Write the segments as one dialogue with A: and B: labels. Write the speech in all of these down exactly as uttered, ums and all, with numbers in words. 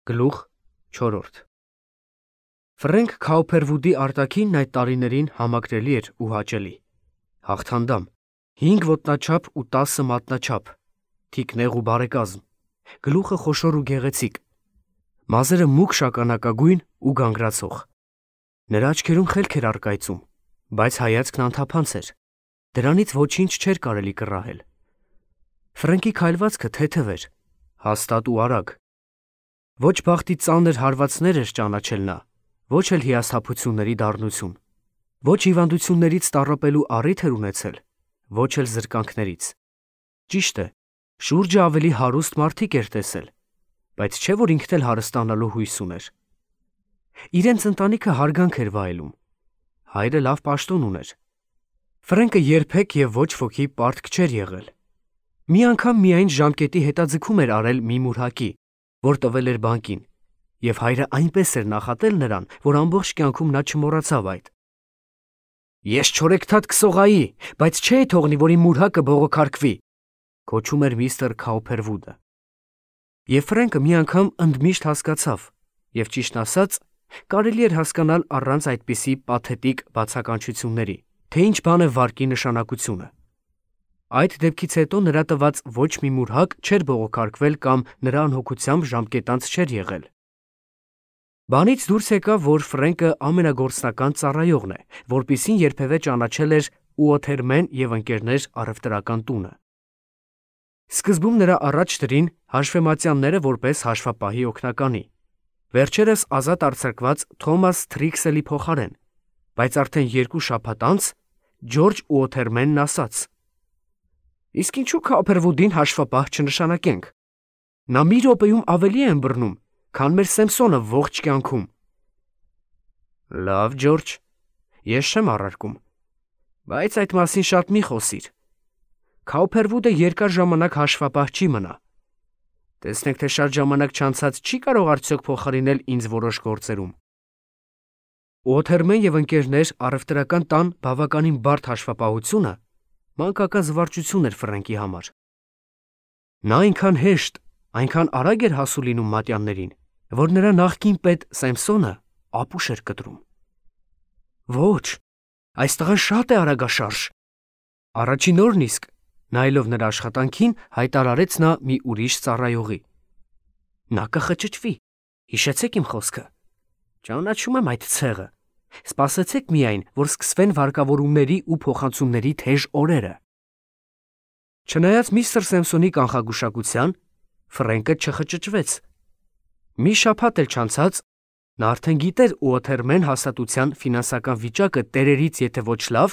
A: Գլուխ չորրորդ Ֆրենկ Քաուփերվուդի արտաքինն այդ տարիներին համակրելի էր ու հաճելի։ Հաղթանդամ, հինգ ոտնաչափ ու տասը մատնաչափ, թիկնեղ ու բարեկազմ, գլուխը խոշոր ու գեղեցիկ, մազերը մուգ շագանակագույն ու գանգրացող։ Նրա աչքերում խելք էր առկայծում, բայց հայացքն անթափանց էր, դրանից ոչինչ չէր կարելի կռահել։ Ֆրենկի քայլվածքը թեթև էր, հաստատ ու արագ։ Ոչ բախտի ծանր հարվածներ էր ճանաչել նա, ոչ էլ հիասթափությունների դառնություն, ոչ հիվանդություններից տառապելու առիթ էր ունեցել, ոչ էլ զրկանքներից։ Ճիշտ է, շուրջը ավելի հարուստ մարդիկ էր տեսել, բայց չէ՞ որ ինքն էլ հարստանալու հույս ուներ։ Իրենց ընտանիքը հարգանք էր վայելում, հայրը լավ պաշտոն ուներ։ Ֆրենկը երբեք և ոչ ոքի պարտք չէր եղել։ Մի անգամ միայն ժամկետի հետաձգում էր արել մի մուրհակի, որ տվել էր բանկին, և հայրը այնպես էր նախատել նրան, որ ամբողջ կյանքում նա չմոռացավ այդ։ «Ես չորեքթաթ կսողայի, բայց չէի թողնի, որ իմ մուրհակը բողոքարկվի», գոչում էր միստր Քաուփերվուդը։ Եվ Ֆրենկը մի անգամ ընդմիշտ հասկացավ, և ճիշտն ասած, կարելի էր հասկանալ առանց այդպիսի պաթետիկ բացականչությունների, թե ինչ բան է վարկի նշանակությունը։ Այդ դեպքից հետո նրա տված ոչ մի մուրհակ չէր բողոքարկվել կամ նրա անհոգությամբ ժամկետանց չէր եղել։ Բանից դուրս եկավ, որ Ֆրենկը ամենագործնական ծառայողն է, որպիսին երբևէ ճանաչել էր Ուոթերմեն և ընկերներ առևտրական տունը։ Սկզբում նրա առաջ դրին հաշվեմատյանները որպես հաշվապահի օգնականի, վերջերս ազատ արձակված Թոմաս Թրիքսելի փոխարեն, բայց արդեն երկու շաբաթ անց Ջորջ Ուոթերմենն ասաց. «Իսկ ինչու Քաուփերվուդին հաշվապահ չնշանակենք։ Նա մի րոպեում ավելի է ըմբռնում, քան մեր Սեմսոնը ողջ կյանքում»։ Լավ, Ջորջ, ես չեմ առարկում, բայց այդ մասին շատ մի խոսիր։ Քաուփերվուդը երկար ժամանակ հաշվապահ չի մնա։ Տեսնենք, թե շատ ժամանակ չանցած չի կարող արդյոք փոխարինել ինձ որոշ գործերում։ Ուոթերմեն և ընկերներ առևտրական տան բավականին բարդ հաշվապահությունը մանկական զվարճություն էր Ֆրենկի համար։ Նա այնքան հեշտ, այնքան արագ էր հասու լինում մատյաններին, որ նրա նախկին պետ Սեմսոնը ապուշ էր կտրում։ Ոչ, այս տղան շատ է արագաշարժ։ Առաջին օրն իսկ, նայելով նրա աշխատանքին, հայտարարեց նա մի ուրիշ ծառայողի. «Նա կխճճվի, հիշեցեք իմ խոսքը։ Ճանաչում եմ այդ ցեղը։ Սպասեցեք միայն, որ սկսվեն վարկավորումների ու փոխանցումների թեժ օրերը»։ Չնայած միստր Սեմսոնի կանխագուշակության, Ֆրենկը չխճճվեց։ Մի շաբաթ էլ չանցած, նա արդեն գիտեր Ուոթերմեն հաստատության ֆինանսական վիճակը տերերից եթե ոչ լավ,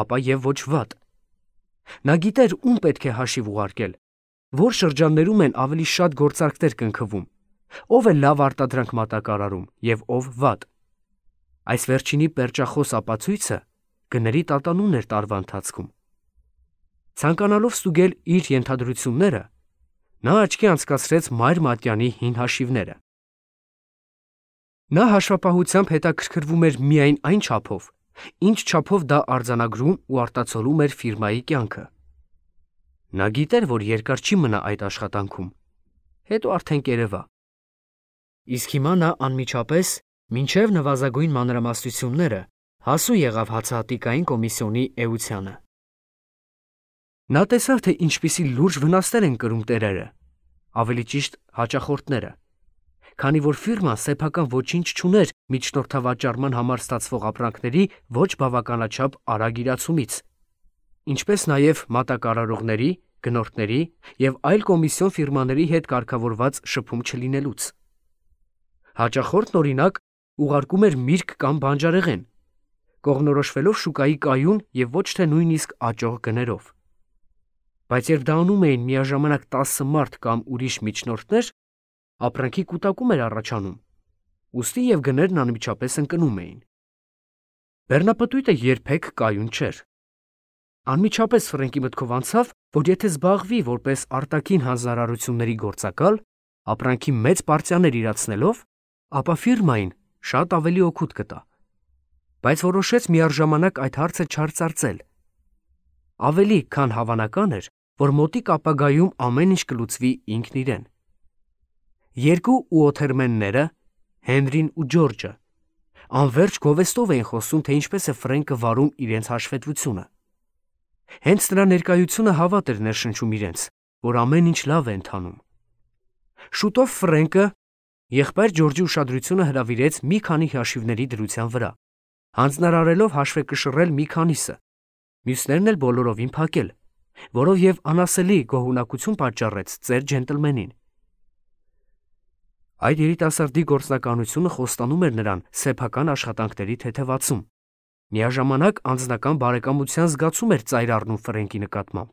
A: ապա և ոչ վատ։ Նա գիտեր ում պետք է հաշիվ ուղարկել, որ շրջաններում են ավելի շատ գործարքներ կնքվում, ով է լավ արտադրանք մատակարարում և ով վատ։ Այս վերջինի պերճախոս ապացույցը գների տատանումն էր տարվա ընթացքում։ Ցանկանալով ստուգել իր ենթադրությունները, նա աչքի անցկացրեց Մայր Մատյանի հին հաշիվները։ Նա հաշվապահությամբ հետաքրքրվում էր միայն այն չափով, ինչ չափով դա արձանագրում ու արտացոլում էր ֆիրմայի կյանքը։ Նա գիտեր, որ երկար չի մնա այդ աշխատանքում, հետո արդեն կերևա։ Իսկ հիմա նա անմիջապես, մինչև նվազագույն մանրամասնությունները, հասու եղավ հացահատիկային կոմիսիոնի էությանը։ Նա տեսավ, թե ինչպիսի լուրջ վնասներ են կրում տերերը, ավելի ճիշտ հաճախորդները, քանի որ ֆիրման սեփական ոչինչ չուներ միջնորդավաճառման համար ստացվող ապրանքների ոչ բավականաչափ արագ իրացումից, ինչպես նաև մատակարարողների, գնորդների և այլ կոմիսիոն ֆիրմաների հետ կարգավորված շփում չլինելուց։ Հաճախորդն, օրինակ, ուղարկում էր միրգ կամ բանջարեղեն, կողմնորոշվելով շուկայի կայուն և ոչ թե նույնիսկ աճող գներով։ Բայց երբ դա անում էին միաժամանակ տասը մարդ կամ ուրիշ միջնորդներ, ապրանքի կուտակում էր առաջանում, ուստի և գներն անմիջապես ընկնում էին։ Բեռնապտույտը երբեք կայուն չէր։ Անմիջապես Ֆրենկի մտքով անցավ, որ եթե զբաղվի որպես արտաքին հանձնարարությունների գործակալ, ապրանքի մեծ պարտիաներ իրացնելով, ապա ֆիրմային շատ ավելի օգուտ կտա։ Բայց որոշեց միառժամանակ այդ հարցը չարծարծել։ Ավելի քան հավանական էր, որ մոտիկ ապագայում ամեն ինչ կլուծվի ինքն իրեն։ երկու ուոթերմենները, Հենրին ու Ջորջը, անverջ գովեստով էին խոսում, թե ինչպես է Ֆրենկը վարում իրենց հաշվետվությունը։ Հենց նրա ներկայությունը հավատ էր ներշնչում իրենց, որ ամեն ինչ լավ է ընթանում։ Շուտով Ֆրենկը եղբայր Ջորջի ուշադրությունը հրավիրեց մի քանի հաշիվների դրության վրա, հանձնարարելով հաշվեկշռել մի քանիսը, մյուսներն էլ բոլորովին փակել, որով և անասելի գոհունակություն պատճառեց ծեր ջենտլմենին։ Այդ երիտասարդի գործնականությունը խոստանում էր նրան սեփական աշխատանքների թեթևացում, միաժամանակ անձնական բարեկամության զգացում էր ծայր առնում Ֆրենկի նկատմամբ։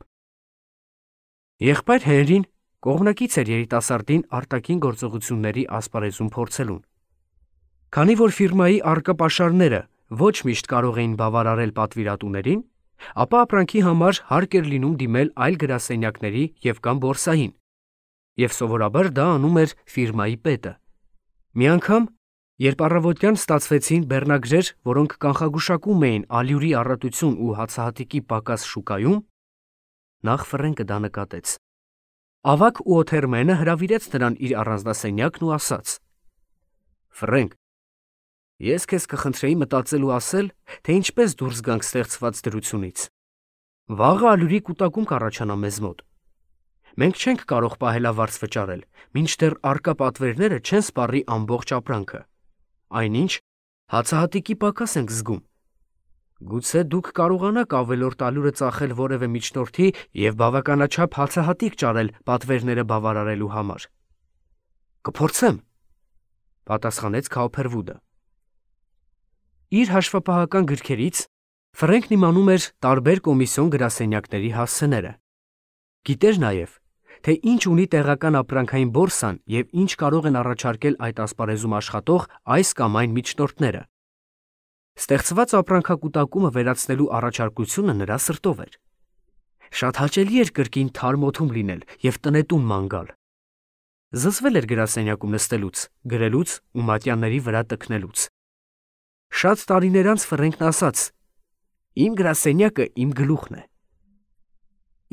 A: Եղբայր Հենրին կողմնակից էր երիտասարդին արտաքին գործողությունների ասպարեզում փորձելուն։ Քանի որ ֆիրմայի առկա պաշարները ոչ միշտ կարող էին բավարարել պատվիրատուներին, ապա ապրանքի համար հարկ էր լինում դիմել այլ գրասենյակների և կամ բորսային, և սովորաբար դա անում էր ֆիրմայի պետը։ Մի անգամ, երբ առավոտյան ստացվեցին բեռնագրեր, որոնք կանխագուշակում էին ալյուրի առատություն ու հացահատիկի պակաս շուկայում, նախ Ֆրենկը դա նկատեց։ Ավագ ուոթերմենը հրավիրեց նրան իր առանձնասենյակն ու ասաց. «Ֆրենկ, ես քեզ կխնդրեի մտածել ու ասել, թե ինչպես դուրս գանք ստեղծված դրությունից։ Վաղը ալյուրի կուտակում կառաջանա մեզ մոտ։ Մենք չենք կարող պահելավարձ վճարել, մինչդեռ առկա պատվերները չեն սպառի ամբողջ ապրանքը, այնինչ հացահատիկի պակաս ենք զգում։ Գուցե դուք կարողանաք ավելորդ ալյուրը ծախել որևէ միջնորդի և բավականաչափ հացահատիկ ճարել պատվերները բավարարելու համար»։ «Կփորձեմ», պատասխանեց Քաուփերվուդը։ Իր հաշվապահական գրքերից Ֆրենկն իմանում էր տարբեր կոմիսիոն գրասենյակների հասցեները։ Գիտեր նաև, թե ինչ ունի տեղական ապրանքային բորսան և ինչ կարող են առաջարկել այդ ասպարեզում աշխատող այս կամ այն միջնորդները։ Ստեղծված ապրանքակուտակումը վերացնելու առաջարկությունը նրա սրտով էր։ Շատ հաճելի էր կրկին թարմ օդում լինել և տնետուն ման գալ։ Զզվել էր գրասենյակում նստելուց, գրելուց ու մատյանների վրա տքնելուց։ Շատ տարիներ անց Ֆրենկն ասաց. «Իմ գրասենյակը իմ գլուխն է»։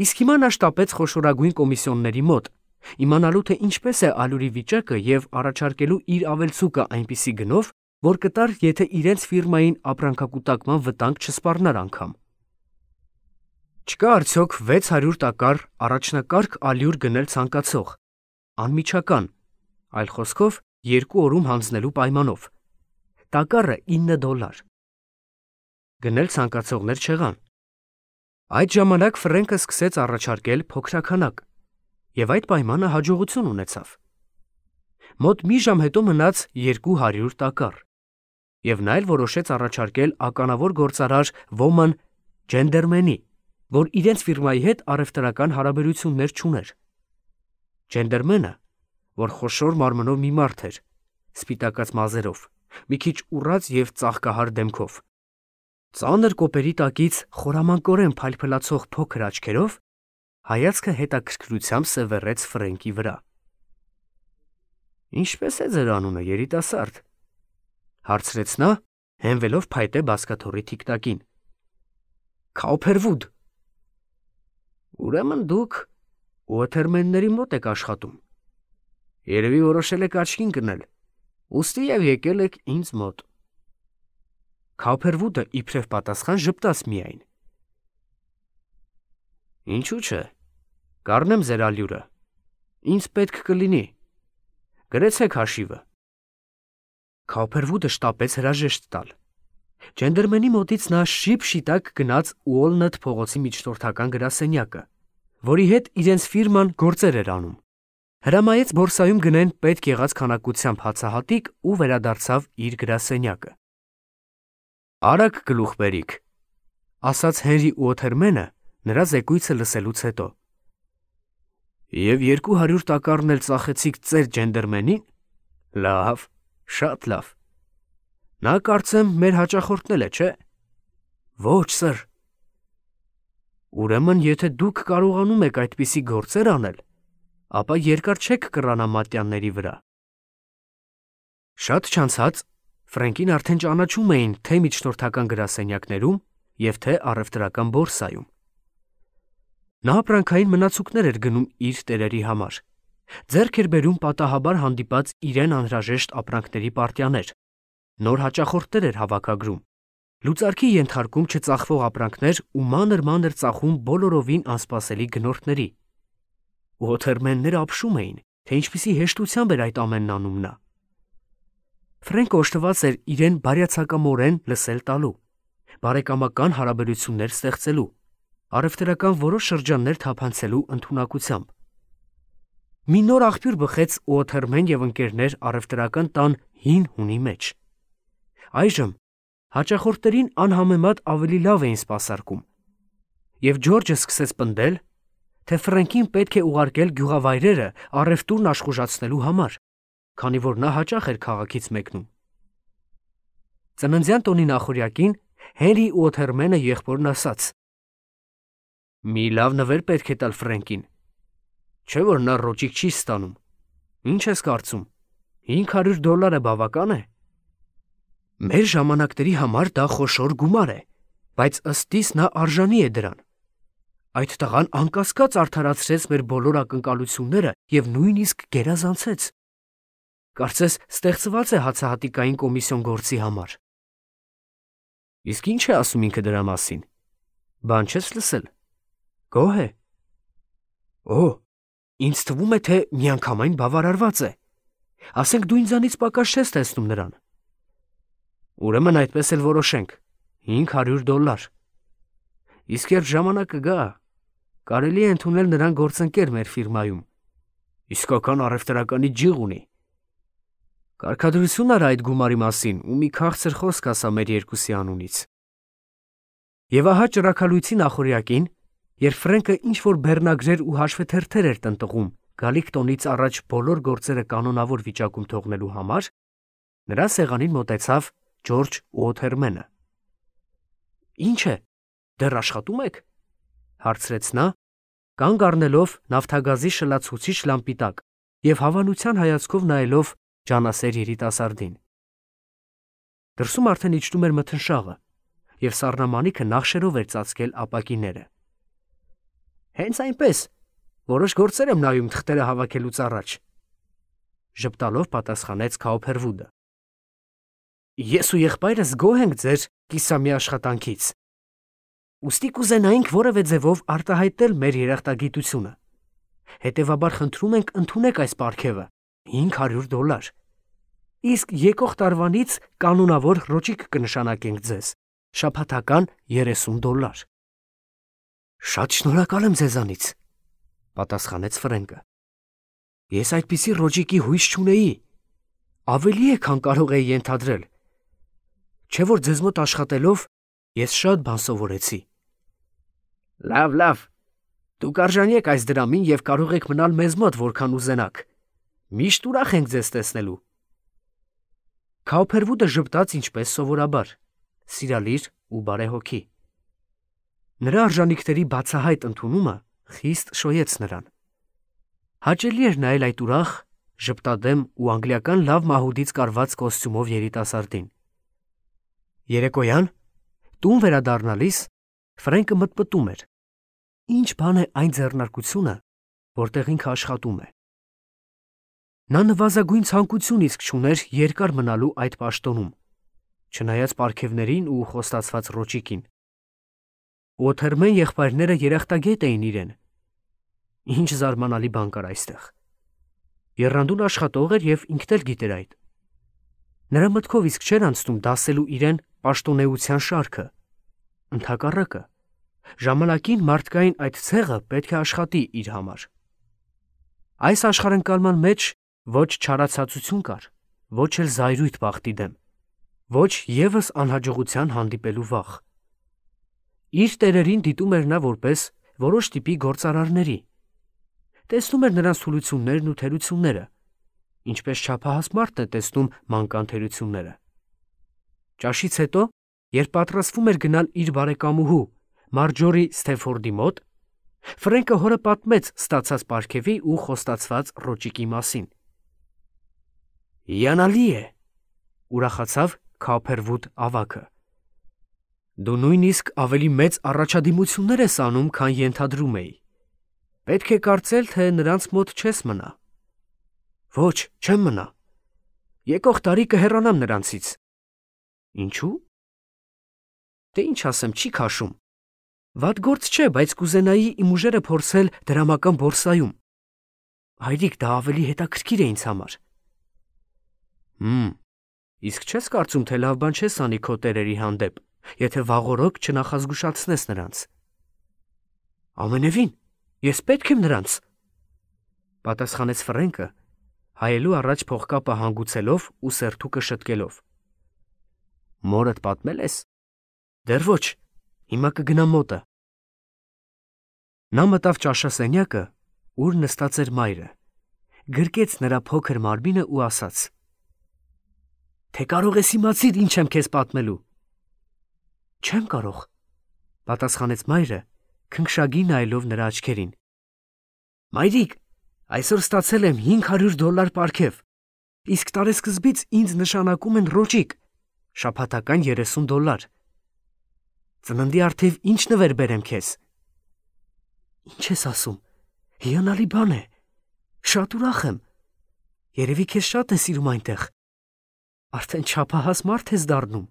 A: Իսկ հիմա նա շտապեց խոշորագույն կոմիսիոնների մոտ, իմանալու թե ինչպես է ալյուրի վիճակը և առաջարկելու իր ավելցուկը այնպիսի գնով, որ կտար, եթե իրենց ֆիրմային ապրանքակուտակման վտանգ չսպառնար անգամ։ Չկա արդյոք վեց հարյուր տակառ առաջնակարգ ալյուր գնել ցանկացող, անմիջական, այլ խոսքով երկու օրում հանձնելու պայմանով։ Տակառը ինը դոլար։ Գնել ցանկացողներ չեղան։ Այդ ժամանակ Ֆրենկը սկսեց առաջարկել փոքրաքանակ, և այդ պայմանը հաջողություն ունեցավ։ Մոտ մի ժամ հետո մնաց երկու հարյուր տակառ, և նա էլ որոշեց առաջարկել ականավոր գործարար Ոման Ջենդերմենի, որ իրենց ֆիրմայի հետ առևտրական հարաբերություններ չուներ։ Ջենդերմենը, որ խոշոր մարմնով մի մարդ էր, սպիտակած մազերով, մի քիչ ուռած և ծաղկահար դեմքով, ծանր կոպերի տակից խորամանկորեն փայլփլացող փոքր աչքերով, հայացքը հետաքրքրությամբ սևեռեց Ֆրենկի վրա։ «Ինչպե՞ս է ձեր անունը, երիտասարդ», հարցրեց նա, հենվելով փայտե բազկաթոռի թիկտակին։ «Քաուփերվուդ»։ «Ուրեմն դուք ուոթերմենների մոտ եք աշխատում։ Երևի որոշել եք աչքին կնել, ուստի և եկել եք ինձ մոտ»։ Քաուփերվուդը իբրև պատասխան ժպտաց միայն։ «Ինչու՞ չէ, կառնեմ ձեր ալյուրը, ինձ պետք կլինի, գրեցեք հաշիվը»։ Քաուփերվուդը շտապեց հրաժեշտ տալ։ Ջենդերմենի մոտից նա շիպ-շիտակ գնաց Ուոլնեթ փողոցի միջնորդական գրասենյակը, որի հետ իրենց ֆիրման գործեր էր անում, հրամայեց բորսայում գնեն պետք եղած քանակությամբ հացահատիկ ու վերադարձավ իր գրասենյակը։ «Արագ գլուխ բերիք», ասաց Հենրի ուոթերմենը նրա զեկույցը լսելուց հետո։ «Եվ երկու հարյուր տակառն էլ ծախեցիք ծեր Ջենդերմենին։ Լավ, շատ լավ։ Նա կարծեմ մեր հաճախորդն է, չէ՞։ Ոչ, սըր։ Ուրեմն, եթե դուք կարողանում եք այդպիսի գործեր անել, ապա երկար չեք կռանա մատյանների վրա»։ Շատ չանցած Ֆրենկին արդեն ճանաչում էին թե միջնորդական գրասենյակներում և թե առևտրական բորսայում։ Նա ապրանքային մնացուկներ էր գնում իր տերերի համար Ձեռք էր բերում պատահաբար հանդիպած իրեն անհրաժեշտ ապրանքների պարտիաներ, նոր հաճախորդներ էր հավաքագրում, լուծարքի ենթարկում չծախվող ապրանքներ ու մանր-մանր ծախում բոլորովին անսպասելի գնորդների։ Ուոթերմենները ապշում էին, թե ինչպիսի հեշտությամբ էր այդ ամենն անում նա։ Ֆրենկը օժտված էր իրեն բարյացակամորեն լսել տալու, բարեկամական հարաբերություններ ստեղծելու, առևտրական որոշ շրջաններ թափանցելու ընդունակությամբ։ Մի նոր աղբյուր բխեց Ուոթերմեն և ընկերներ առևտրական տան հին հունի մեջ։ Այժմ հաճախորդներին անհամեմատ ավելի լավ էին սպասարկում, և Ջորջը սկսեց պնդել, թե Ֆրենկին պետք է ուղարկել գյուղավայրերը առևտուրն աշխուժացնելու համար, քանի որ նա հաճախ էր քաղաքից մեկնում։ Ծննդյան տոնի նախօրյակին Հենրի Ուոթերմենը եղբորն ասաց. «Մի լավ նվեր պետք է տալ Ֆրենկին, չէ՞ որ նա ռոճիկ չի ստանում, ինչ ես կարծում, հինգ հարյուր դոլարը բավական է»։ Մեր ժամանակների համար դա խոշոր գումար է, բայց ըստ իս նա արժանի է դրան։ Այդ տղան անկասկած արդարացրեց մեր բոլոր ակնկալությունները և նույնիսկ գերազանցեց։ Կարծես ստեղծված է հացահատիկային կոմիսիոն գործի համար։ Իսկ ինչ է ասում ինքը դրա մասին։ Բան չես լսել։ Գոհ է։ Օ, ինձ թվում է, թե միանգամայն բավարարված է։ Ասենք դու ինձանից պակաս չես տեսնում նրան։ Ուրեմն այդպես էլ որոշենք, հինգ հարյուր դոլար։ Իսկ երբ ժամանակը գա, կարելի է ընդունել նրան գործընկեր մեր ֆիրմայում։ Իսկական առևտրականի ջիղ ունի։ Կարգադրություն արա այդ գումարի մասին ու մի քաղցր խոսք ասա մեր երկուսի անունից։ Եվ ահա ճրագալույցի նախօրյակին, երբ Ֆրենկը ինչ-որ բեռնագրեր ու հաշվեթերթեր էր տնտղում գալիք տոնից առաջ բոլոր գործերը կանոնավոր վիճակում թողնելու համար, նրա սեղանին մոտեցավ Ջորջ Ուոթերմենը։ Ինչ է, դեռ աշխատում եք, հարցրեց նա, կանգ առնելով նավթագազի շլացուցիչ լամպի տակ և հավանության հայացքով նայելով ջանասեր երիտասարդին։ Դրսում արդեն իջնում էր մթնշաղը, և սառնամանիքը նախշերով էր ծածկել ապակիները։ Հենց այնպես, որոշ գործեր եմ նայում թղթերը հավաքելուց առաջ, ժպտալով պատասխանեց Քաուփերվուդը։ Ես ու եղբայրս գոհ ենք ձեր կիսամի աշխատանքից։ Ուստի կուզենայինք որևէ ձևով արտահայտել մեր երախտագիտությունը։ Հետևաբար խնդրում ենք ընդունեք այս պարգևը, հինգ հարյուր դոլար։ Իսկ եկող տարվանից կանոնավոր ռոճիկ կնշանակենք ձեզ, շաբաթական երեսուն դոլար։ Շատ շնորհակալ եմ ձեզանից, պատասխանեց Ֆրենկը։ Ես այդպիսի ռոճիկի հույս չունեի, ավելի է, քան կարող էի ենթադրել։ Չէ՞ որ ձեզ մոտ աշխատելով ես շատ բան սովորեցի։ Լավ, լավ, դուք արժանի եք այս դրամին և կարող եք մնալ մեզ մոտ որքան ուզենաք։ Միշտ ուրախ ենք ձեզ տեսնելու։ Քաուփերվուդը ժպտաց ինչպես սովորաբար, սիրալիր ու բարեհոգի։ Նրա արժանիքների բացահայտ ընդունումը խիստ շոյեց նրան։ Հաճելի էր նայել այդ ուրախ, ժպտադեմ ու անգլիական լավ մահուդից կարված կոստյումով երիտասարդին։ Երեկոյան, տուն վերադառնալիս, Ֆրենկը մտմտում էր. ինչ բան է այն ձեռնարկությունը, որտեղ ինքը աշխատում է։ Նա նվազագույն ցանկություն իսկ չուներ երկար մնալու այդ պաշտոնում, չնայած պարգևներին ու խոստացված ռոճիկին։ Ուոթերմեն եղբայրները երախտագետ էին իրեն։ Ինչ զարմանալի բան կար այստեղ։ Եռանդուն աշխատող էր և ինքն էլ գիտեր այդ։ Նրա մտքով իսկ չէր անցնում դասելու իրեն պաշտոնեության շարքը։ Ընդհակառակը, ժամանակին մարդկային այդ ցեղը պետք է աշխատի իր համար։ Այս աշխարհընկալման մեջ ոչ չարացածություն կար, ոչ էլ զայրույթ բախտի դեմ, ոչ ևս անհաջողության հանդիպելու վախ։ Իր տերերին դիտում էր նա որպես որոշ տիպի գործարարների։ Տեսնում էր նրանց թուլություններն ու թերությունները, ինչպես չափահաս մարդն է տեսնում մանկան թերությունները։ Ճաշից հետո, երբ պատրաստվում էր գնալ իր բարեկամուհու Մարջորի Սթեֆորդի մոտ, Ֆրենկը հորը պատմեց ստացած պարգևի ու խոստացված ռոճիկի մասին։ Հիանալի է, ուրախացավ Քաուփերվուդ ավագը։ Դու նույնիսկ ավելի մեծ առաջադիմություններ ես անում, քան ենթադրում էի։ Պետք է կարծել, թե նրանց մոտ չես մնա։ Ոչ, չեմ մնա։ Եկող տարի կհեռանամ նրանցից։ Ինչու՞։ Դե ինչ ասեմ, չի քաշում։ Վատ գործ չէ, բայց կուզենայի իմ ուժերը փորձել դրամական բորսայում։ Հայրիկ, դա ավելի հետաքրքիր է ինձ համար։ Հմ, իսկ չես կարծում, թե լավ բան չես անի քո տերերի հանդեպ, եթե վաղօրոք չնախազգուշացնես նրանց։ Ամենևին, ես պետք եմ նրանց, պատասխանեց Ֆրենկը, հայելու առաջ փողկապը հանգուցելով ու սերթուկը շտկելով։ Մորդ պատմել ես։ Դեռ ոչ, հիմա կգնամ մոտը։ Նա մտավ ճաշասենյակը, ուր նստած էր մայրը, գրկեց նրա փոքր մարմինը ու ասաց. Թե կարող ես իմացիր, ինչ եմ քեզ պատմելու։ Չեմ կարող, պատասխանեց մայրը, քնքշագի նայելով նրա աչքերին։ Մայրիկ, այսօր ստացել եմ հինգ հարյուր դոլար պարգև, իսկ տարեսկզբից ինձ նշանակում են ռոճիկ, շաբաթական երեսուն դոլար։ Ծննդի առթիվ ինչ նվեր բերեմ քեզ։ Ինչ ես ասում, հիանալի բան է, շատ ուրախ եմ, երևի քեզ շատ է սիրում այնտեղ, արդեն չափահաս մարդ ես դառնում։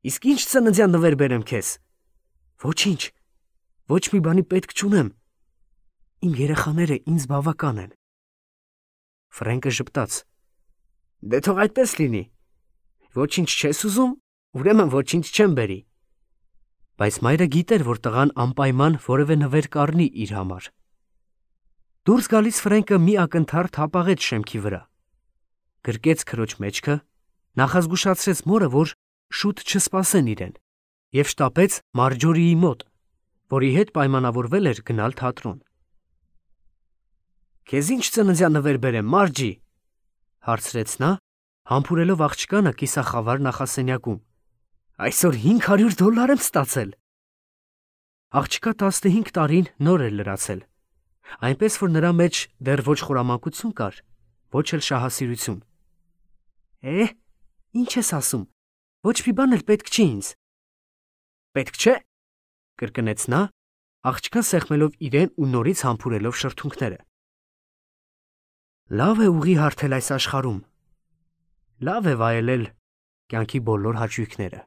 A: Իսկ ինչ ծննդյան նվեր բերեմ քեզ։ Ոչինչ, ոչ մի բանի պետք չունեմ, իմ երեխաները ինձ բավական են։ Ֆրենկը ժպտաց. Դե թող այդպես լինի, ոչինչ չես ուզում, ուրեմն ոչինչ չեմ բերի։ Բայց մայրը գիտեր, որ տղան անպայման որևէ նվեր կառնի իր համար։ Դուրս գալիս Ֆրենկը մի ակնթարթ հապաղեց շեմքի վրա, գրկեց քրոջ մեջքը, նախազգուշացրեց մորը, որ շուտ չսպասեն իրեն, և շտապեց Մարջորիի մոտ, որի հետ պայմանավորվել էր գնալ թատրոն։ Քեզ ինչ ծննդյան նվեր բերեմ, Մարջի, հարցրեց նա, համբուրելով աղջկանը կիսախավար նախասենյակում։ Այսօր հինգ հարյուր դոլար եմ ստացել։ Աղջկա տասնհինգ տարին նոր էր լրացել, այնպես որ նրա մեջ դեռ ոչ խորամանկություն կար, ոչ էլ շահասիրություն։ Է, ինչ ես ասում, ոչ մի բան էլ պետք չի ինձ։ Պետք չէ, կրկնեց նա, աղջկան սեղմելով իրեն ու նորից համբուրելով շրթունքները։ Լավ է ուղի հարթել այս աշխարհում, լավ է վայելել կյանքի բոլոր հաճույքները։